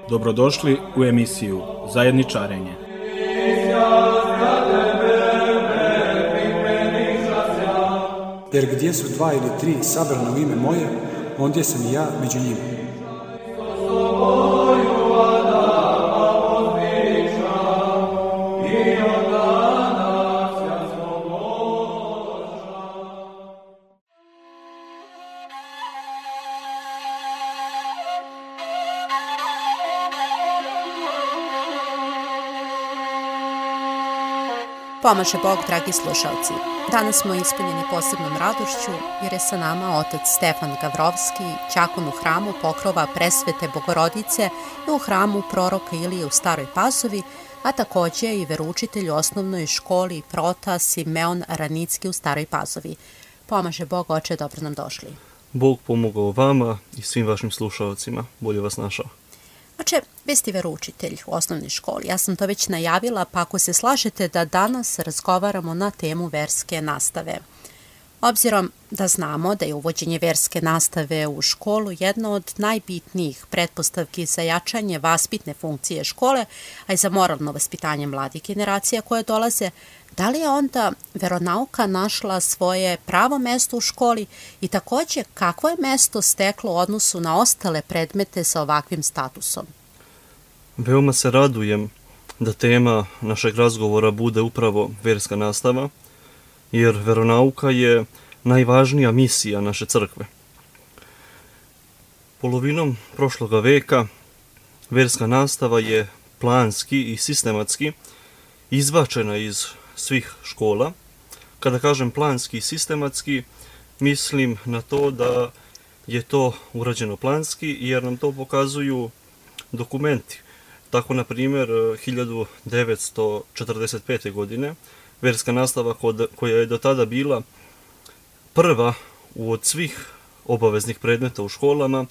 Dobrodošli u emisiju Zajedničarenje. Jer gdje su 2 ili 3 sabrana u ime moje, ondje sam i ja među njima. Pomaže Bog, dragi slušalci. Danas smo ispunjeni posebnom radošću jer je sa nama otac Stefan Gavrovski, đakon u hramu Pokrova Presvete Bogorodice i u hramu Proroka Ilije u Staroj Pazovi, a takođe i veroučitelj u osnovnoj školi Prota Simeon Ranicki u Staroj Pazovi. Pomaže Bog, oče, dobro nam došli. Bog pomogao vama i svim vašim slušalcima. Bolje vas našao. Oče, vi ste veroučitelj u osnovnoj školi. Ja sam to već najavila, pa ako se slažete da danas razgovaramo na temu verske nastave. Obzirom da znamo da je uvođenje verske nastave u školu jedna od najbitnijih pretpostavki za jačanje vaspitne funkcije škole, a i za moralno vaspitanje mladih generacija koje dolaze, da li je onda veronauka našla svoje pravo mesto u školi i takođe kakvo je mesto steklo u odnosu na ostale predmete sa ovakvim statusom? Veoma se radujem da tema našeg razgovora bude upravo verska nastava, jer veronauka je najvažnija misija naše crkve. Polovinom prošloga veka verska nastava je planski i sistematski izbačena iz svih škola. Kada kažem planski i sistematski, mislim na to da je to urađeno planski jer nam to pokazuju dokumenti. Tako, na primjer, 1945. godine verska nastava koja je do tada bila prva od svih obaveznih predmeta u školama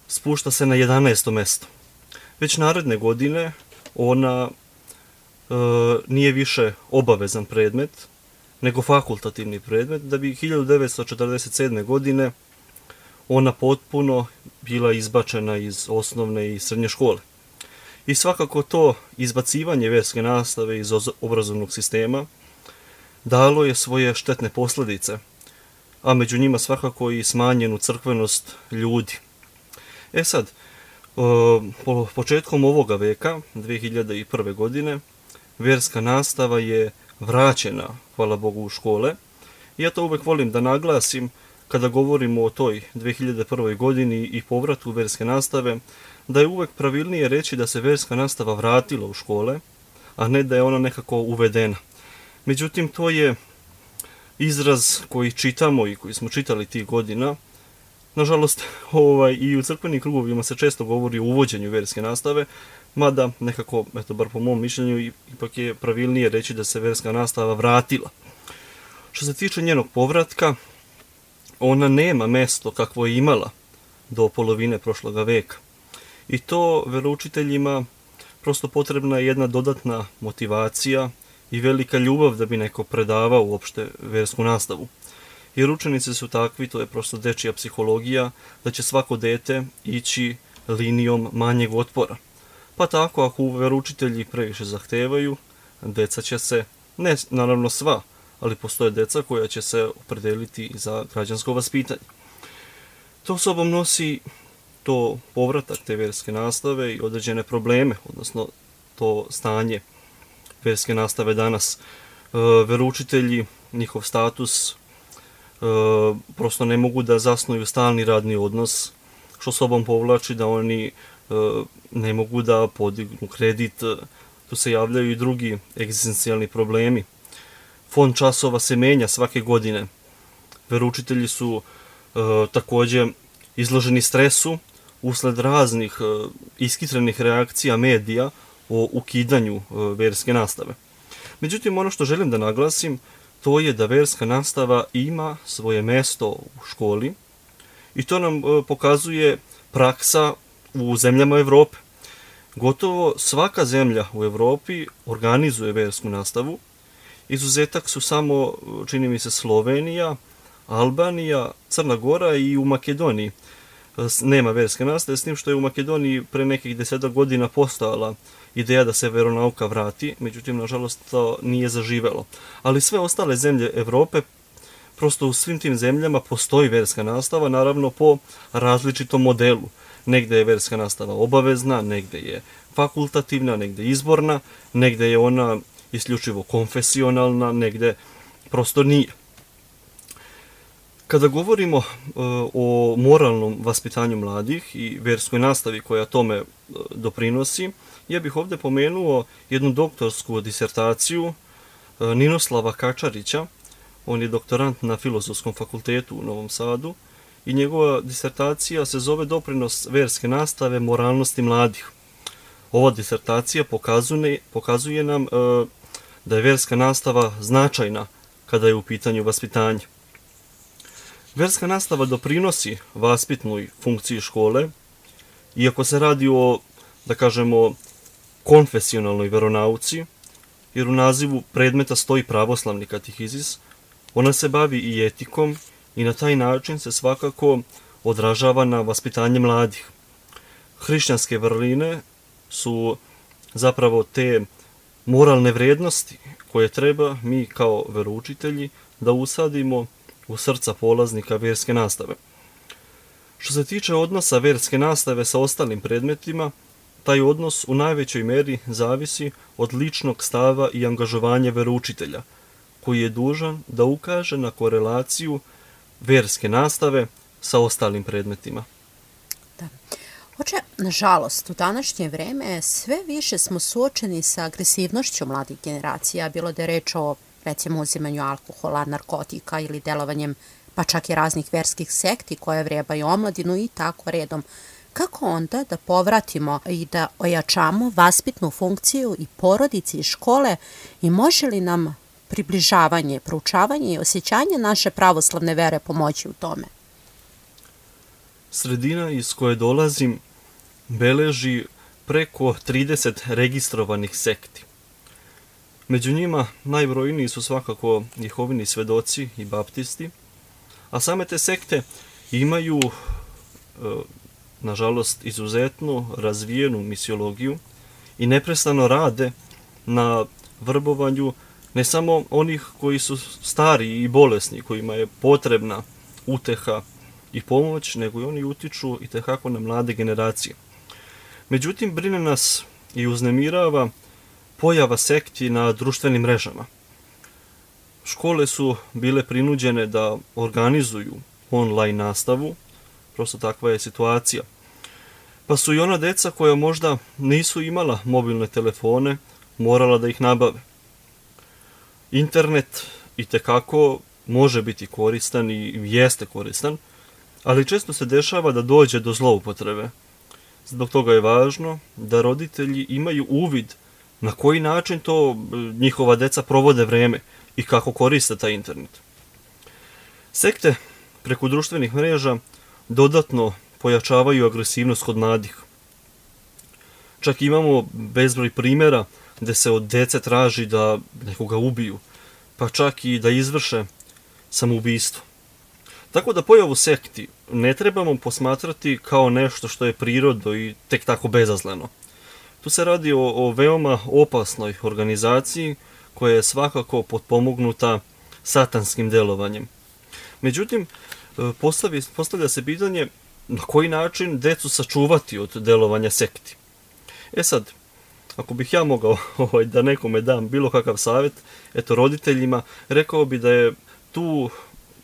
spušta se na 11. mesto. Već naredne godine ona nije više obavezan predmet, nego fakultativni predmet, da bi 1947. godine ona potpuno bila izbačena iz osnovne i srednje škole. I svakako to izbacivanje verske nastave iz obrazovnog sistema dalo je svoje štetne posljedice, a među njima svakako i smanjenu crkvenost ljudi. Sad, početkom ovoga veka, 2001. godine, verska nastava je vraćena, hvala Bogu, u škole. I ja to uvek volim da naglasim kada govorimo o toj 2001. godini i povratu verske nastave, da je uvek pravilnije reći da se verska nastava vratila u škole, a ne da je ona nekako uvedena. Međutim, to je izraz koji čitamo i koji smo čitali tih godina. Nažalost, i u crkvenim krugovima se često govori o uvođenju verske nastave, mada nekako, bar po mom mišljenju, ipak je pravilnije reći da se verska nastava vratila. Što se tiče njenog povratka, ona nema mesto kakvo je imala do polovine prošloga veka. I to veroučiteljima prosto potrebna je jedna dodatna motivacija i velika ljubav da bi neko predavao uopšte versku nastavu. Jer učenici su takvi, to je prosto dečija psihologija, da će svako dete ići linijom manjeg otpora. Pa tako, ako veroučitelji previše zahtevaju, deca će se, ne naravno sva, ali postoje deca koja će se opredeliti za građansko vaspitanje. To sobom nosi to povratak te verske nastave i određene probleme, odnosno to stanje verske nastave danas. Veroučitelji, njihov status, prosto ne mogu da zasnuju stalni radni odnos, što sobom povlači da oni ne mogu da podignu kredit, tu se javljaju i drugi egzistencijalni problemi. Fond časova se menja svake godine. Veroučitelji su takođe izloženi stresu usled raznih iskitrenih reakcija medija o ukidanju verske nastave. Međutim, ono što želim da naglasim, to je da verska nastava ima svoje mesto u školi i to nam pokazuje praksa u zemljama Evrope. Gotovo svaka zemlja u Evropi organizuje versku nastavu Izuzetak su samo, čini mi se, Slovenija, Albanija, Crna Gora i u Makedoniji nema verske nastave, s tim što je u Makedoniji pre nekih 10 godina postojala ideja da se veronauka vrati, međutim, nažalost, to nije zaživelo. Ali sve ostale zemlje Evrope, prosto u svim tim zemljama postoji verska nastava, naravno po različitom modelu. Negde je verska nastava obavezna, negde je fakultativna, negde izborna, negde je ona isključivo konfesionalna, negde prosto nije. Kada govorimo o moralnom vaspitanju mladih i verskoj nastavi koja tome doprinosi, ja bih ovdje pomenuo jednu doktorsku disertaciju Ninoslava Kačarića. On je doktorant na Filozofskom fakultetu u Novom Sadu i njegova disertacija se zove Doprinos verske nastave moralnosti mladih. Ova disertacija pokazuje nam da je verska nastava značajna kada je u pitanju vaspitanje. Verska nastava doprinosi vaspitnoj funkciji škole, iako se radi o, da kažemo, konfesionalnoj veronauci, jer u nazivu predmeta stoji pravoslavni katehizis, ona se bavi i etikom i na taj način se svakako odražava na vaspitanje mladih. Hrišćanske vrline su zapravo te moralne vrednosti koje treba mi kao veroučitelji da usadimo u srca polaznika verske nastave. Što se tiče odnosa verske nastave sa ostalim predmetima, taj odnos u najvećoj meri zavisi od ličnog stava i angažovanja veroučitelja, koji je dužan da ukaže na korelaciju verske nastave sa ostalim predmetima. Da. Oče, nažalost, u današnje vreme sve više smo suočeni sa agresivnošću mladih generacija, bilo da je reč o, recimo, uzimanju alkohola, narkotika ili delovanjem pa čak i raznih verskih sekti koje vrebaju omladinu i tako redom. Kako onda da povratimo i da ojačamo vaspitnu funkciju i porodici i škole i može li nam približavanje, proučavanje i osjećanje naše pravoslavne vere pomoći u tome? Sredina iz koje dolazim beleži preko 30 registrovanih sekti. Među njima najbrojniji su svakako Jehovini svedoci i baptisti, a same te sekte imaju, nažalost, izuzetno razvijenu misiologiju i neprestano rade na vrbovanju ne samo onih koji su stari i bolesni, kojima je potrebna uteha i pomoć, nego i oni utiču i tekako na mlade generacije. Međutim, brine nas i uznemirava pojava sekti na društvenim mrežama. Škole su bile prinuđene da organizuju online nastavu, prosto takva je situacija. Pa su i ona deca koja možda nisu imala mobilne telefone morala da ih nabave. Internet itekako može biti koristan i jeste koristan, ali često se dešava da dođe do zloupotrebe. Zbog toga je važno da roditelji imaju uvid na koji način to njihova deca provode vreme i kako koriste taj internet. Sekte preko društvenih mreža dodatno pojačavaju agresivnost kod mladih. Čak imamo bezbroj primjera gde se od dece traži da nekoga ubiju, pa čak i da izvrše samoubistvo. Tako da pojavu sekti ne trebamo posmatrati kao nešto što je prirodno i tek tako bezazleno. Tu se radi o veoma opasnoj organizaciji koja je svakako potpomognuta satanskim delovanjem. Međutim, postavlja se pitanje na koji način decu sačuvati od delovanja sekti. Sad, ako bih ja mogao da nekome dam bilo kakav savjet, roditeljima, rekao bi da je tu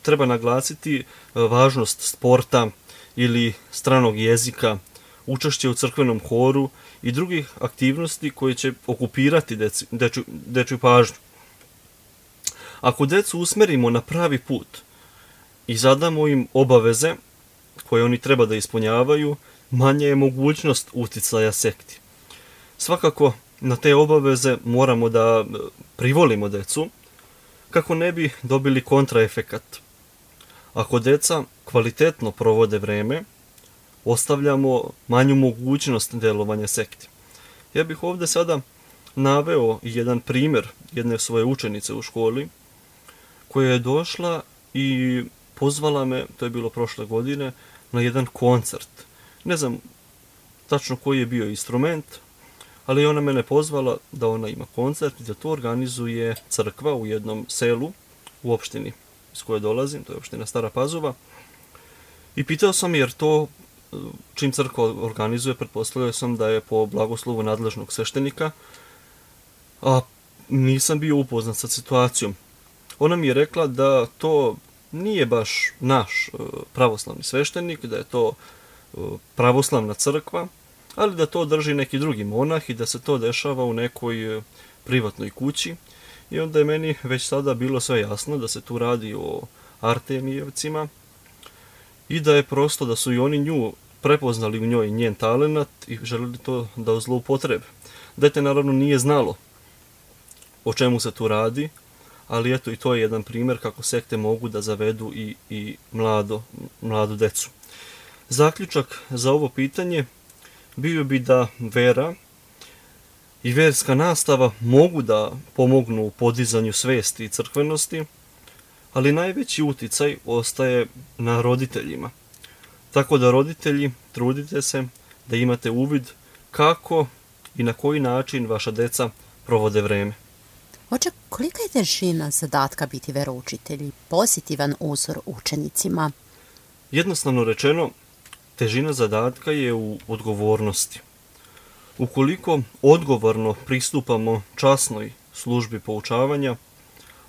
treba naglasiti važnost sporta ili stranog jezika, učešće u crkvenom horu i drugih aktivnosti koje će okupirati dečju pažnju. Ako decu usmerimo na pravi put i zadamo im obaveze koje oni treba da ispunjavaju, manja je mogućnost uticaja sekti. Svakako, na te obaveze moramo da privolimo decu kako ne bi dobili kontraefekat. Ako deca kvalitetno provode vreme, ostavljamo manju mogućnost delovanja sekti. Ja bih ovdje sada naveo jedan primjer jedne svoje učenice u školi, koja je došla i pozvala me, to je bilo prošle godine, na jedan koncert. Ne znam tačno koji je bio instrument, ali ona mene pozvala da ona ima koncert i da to organizuje crkva u jednom selu u opštini iz koje dolazim, to je opština Stara Pazova. I pitao sam jer to, čim crkva organizuje, pretpostavljao sam da je po blagoslovu nadležnog sveštenika, a nisam bio upoznat sa situacijom. Ona mi je rekla da to nije baš naš pravoslavni sveštenik, da je to pravoslavna crkva, ali da to drži neki drugi monah i da se to dešava u nekoj privatnoj kući. I onda je meni već sada bilo sve jasno da se tu radi o Artemijevcima i da je prosto da su i oni nju prepoznali u njoj njen talenat i želeli to da zloupotrebe. Dete naravno nije znalo o čemu se tu radi, ali eto i to je jedan primjer kako sekte mogu da zavedu i mladu decu. Zaključak za ovo pitanje bio bi da vera i verska nastava mogu da pomognu u podizanju svesti i crkvenosti, ali najveći uticaj ostaje na roditeljima. Tako da roditelji, trudite se da imate uvid kako i na koji način vaša deca provode vreme. Oče, kolika je težina zadatka biti veroučitelj i pozitivan uzor učenicima? Jednostavno rečeno, težina zadatka je u odgovornosti. Ukoliko odgovorno pristupamo časnoj službi poučavanja,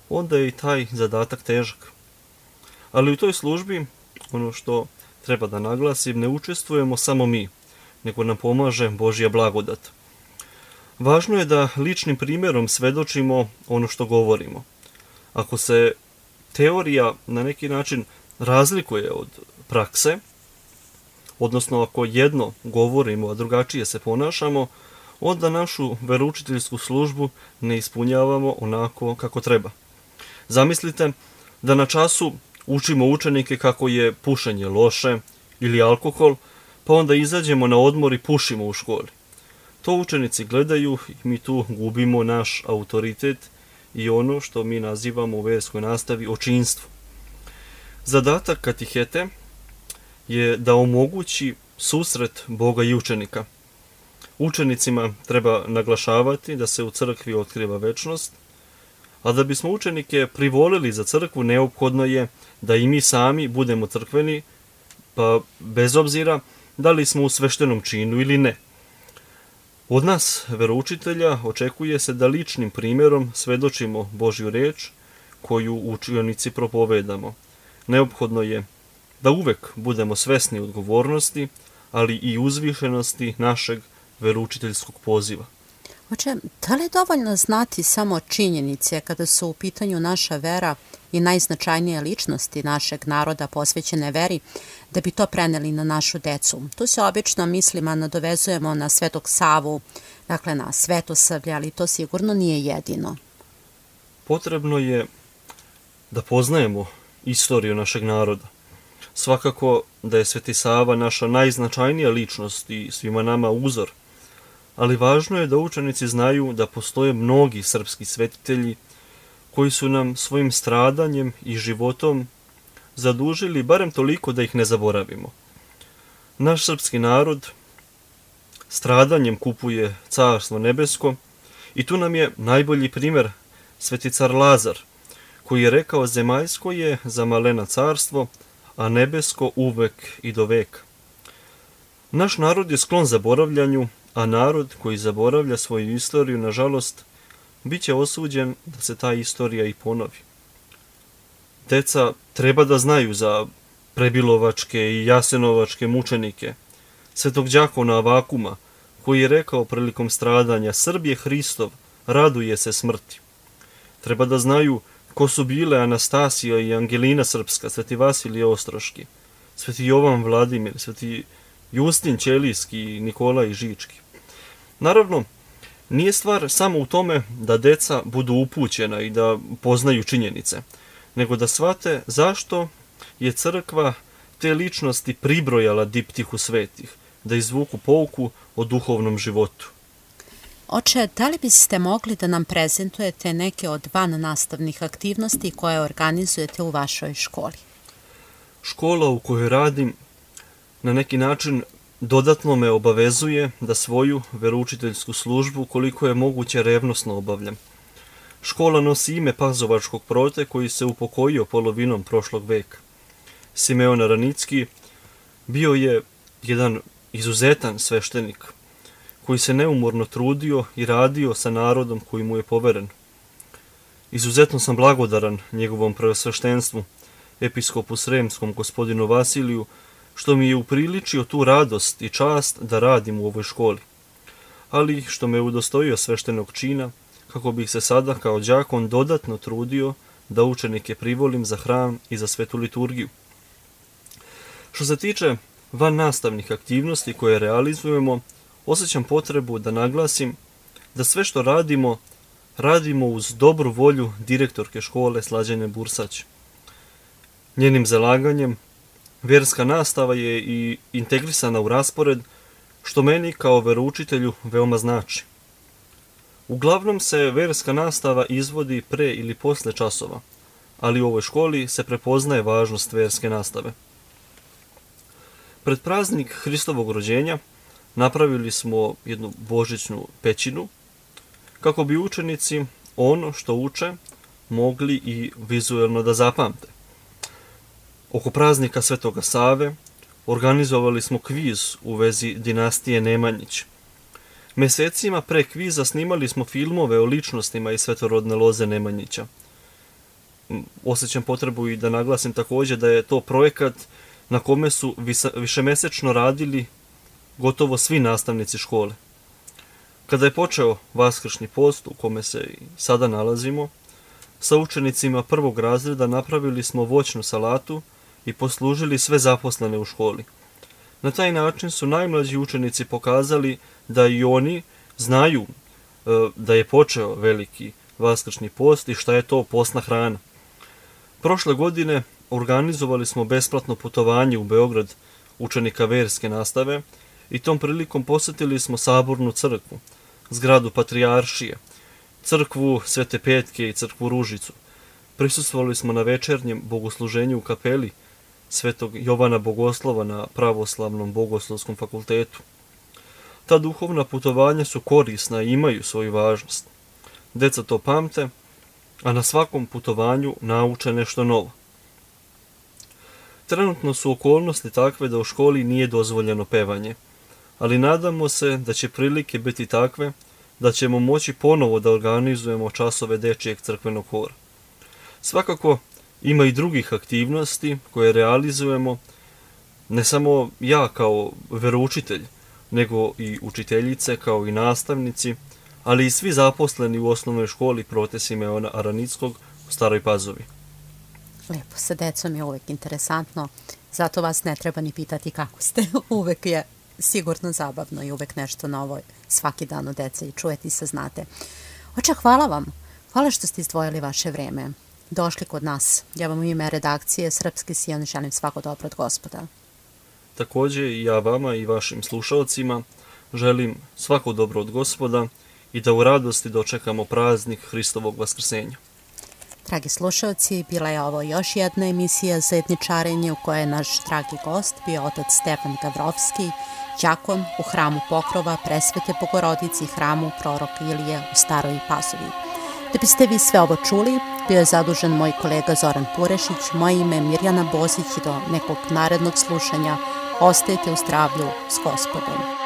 onda je i taj zadatak težak. Ali u toj službi, ono što treba da naglasim, ne učestvujemo samo mi, nego nam pomaže Božja blagodat. Važno je da ličnim primjerom svedočimo ono što govorimo. Ako se teorija na neki način razlikuje od prakse, odnosno ako jedno govorimo, a drugačije se ponašamo, onda našu veroučiteljsku službu ne ispunjavamo onako kako treba. Zamislite da na času učimo učenike kako je pušenje loše ili alkohol, pa onda izađemo na odmor i pušimo u školi. To učenici gledaju i mi tu gubimo naš autoritet i ono što mi nazivamo u verskoj nastavi očinstvo. Zadatak katihete je da omogući susret Boga i učenika. Učenicima treba naglašavati da se u crkvi otkriva večnost, a da bismo učenike privolili za crkvu, neophodno je da i mi sami budemo crkveni, pa bez obzira da li smo u sveštenom činu ili ne. Od nas, veroučitelja, očekuje se da ličnim primjerom svedočimo Božju reč koju učenici propovedamo. Neophodno je da uvek budemo svesni odgovornosti, ali i uzvišenosti našeg veroučiteljskog poziva. Oče, da li je dovoljno znati samo činjenice kada su u pitanju naša vera i najznačajnije ličnosti našeg naroda posvećene veri, da bi to preneli na našu decu? Tu se obično mislima nadovezujemo na Svetog Savu, dakle na Svetosavlje, ali to sigurno nije jedino. Potrebno je da poznajemo istoriju našeg naroda. Svakako da je Sveti Sava naša najznačajnija ličnost i svima nama uzor, ali važno je da učenici znaju da postoje mnogi srpski svetitelji koji su nam svojim stradanjem i životom zadužili barem toliko da ih ne zaboravimo. Naš srpski narod stradanjem kupuje Carstvo nebesko i tu nam je najbolji primjer Sveti car Lazar, koji je rekao: zemaljsko je za malena carstvo, a nebesko uvek i do veka. Naš narod je sklon zaboravljanju, a narod koji zaboravlja svoju istoriju, nažalost, bit će osuđen da se ta istorija i ponovi. Deca treba da znaju za Prebilovačke i Jasenovačke mučenike, Svetog đakona Avakuma, koji je rekao prilikom stradanja: Srb je Hristov, raduje se smrti. Treba da znaju ko su bile Anastasija i Angelina Srpska, Sveti Vasilije Ostroški, Sveti Jovan Vladimir, Sveti Justin Ćelijski i Nikolaj Žički. Naravno, nije stvar samo u tome da deca budu upućena i da poznaju činjenice, nego da shvate zašto je crkva te ličnosti pribrojala diptihu svetih, da izvuku pouku o duhovnom životu. Oče, da li biste mogli da nam prezentujete neke od vannastavnih aktivnosti koje organizujete u vašoj školi? Škola u kojoj radim na neki način dodatno me obavezuje da svoju veroučiteljsku službu koliko je moguće revnosno obavljam. Škola nosi ime pazovačkog prote koji se upokojio polovinom prošlog veka. Simeon Aranicki bio je jedan izuzetan sveštenik koji se neumorno trudio i radio sa narodom koji mu je poveren. Izuzetno sam blagodaran njegovom preosveštenstvu, episkopu Sremskom gospodinu Vasiliju, što mi je upriličio tu radost i čast da radim u ovoj školi, ali što me udostojio sveštenog čina, kako bih se sada kao đakon dodatno trudio da učenike privolim za hram i za svetu liturgiju. Što se tiče vannastavnih aktivnosti koje realizujemo, osjećam potrebu da naglasim da sve što radimo uz dobru volju direktorke škole Slađane Bursać. Njenim zalaganjem vjerska nastava je i integrisana u raspored, što meni kao veroučitelju veoma znači. Uglavnom se vjerska nastava izvodi pre ili posle časova, ali u ovoj školi se prepoznaje važnost vjerske nastave. Pred praznik Hristovog rođenja napravili smo jednu božićnu pećinu, kako bi učenici ono što uče mogli i vizuelno da zapamte. Oko praznika Svetoga Save organizovali smo kviz u vezi dinastije Nemanjić. Mesecima pre kviza snimali smo filmove o ličnostima iz svetorodne loze Nemanjića. Osjećam potrebu i da naglasim također da je to projekat na kome su višemesečno radili gotovo svi nastavnici škole. Kada je počeo vaskršnji post u kome se i sada nalazimo, sa učenicima prvog razreda napravili smo voćnu salatu i poslužili sve zaposlene u školi. Na taj način su najmlađi učenici pokazali da i oni znaju da je počeo veliki vaskršnji post i šta je to postna hrana. Prošle godine organizovali smo besplatno putovanje u Beograd učenika verske nastave i tom prilikom posjetili smo Sabornu crkvu, zgradu Patrijaršije, crkvu Svete Petke i crkvu Ružicu. Prisustvovali smo na večernjem bogosluženju u kapeli Svetog Jovana Bogoslova na Pravoslavnom bogoslovskom fakultetu. Ta duhovna putovanja su korisna i imaju svoju važnost. Deca to pamte, a na svakom putovanju nauče nešto novo. Trenutno su okolnosti takve da u školi nije dozvoljeno pevanje, ali nadamo se da će prilike biti takve da ćemo moći ponovo da organizujemo časove dečijeg crkvenog hora. Svakako ima i drugih aktivnosti koje realizujemo, ne samo ja kao veroučitelj, nego i učiteljice kao i nastavnici, ali i svi zaposleni u osnovnoj školi Prote Simeona Aranickog u Staroj Pazovi. Lepo, sa decom je uvek interesantno, zato vas ne treba ni pitati kako ste. Uvek je sigurno zabavno i uvek nešto novo svaki dan od dece i čujete i saznate. Oče, hvala vam. Hvala što ste izdvojili vaše vreme. Došli kod nas. Ja vam u ime redakcije Srpski Sion želim svako dobro od Gospoda. Također i ja vama i vašim slušalcima želim svako dobro od Gospoda i da u radosti dočekamo praznik Hristovog vaskrsenja. Dragi slušalci, bila je ovo još jedna emisija Zajedničarenje u kojoj je naš dragi gost bio otac Stefan Gavrovski, đakon u hramu Pokrova Presvete Bogorodici i hramu Proroka Ilije u Staroj Pazovi. Da biste vi sve ovo čuli, bio je zadužen moj kolega Zoran Purešić, moje ime je Mirjana Bozić i do nekog narednog slušanja ostajte u zdravlju s Gospodom.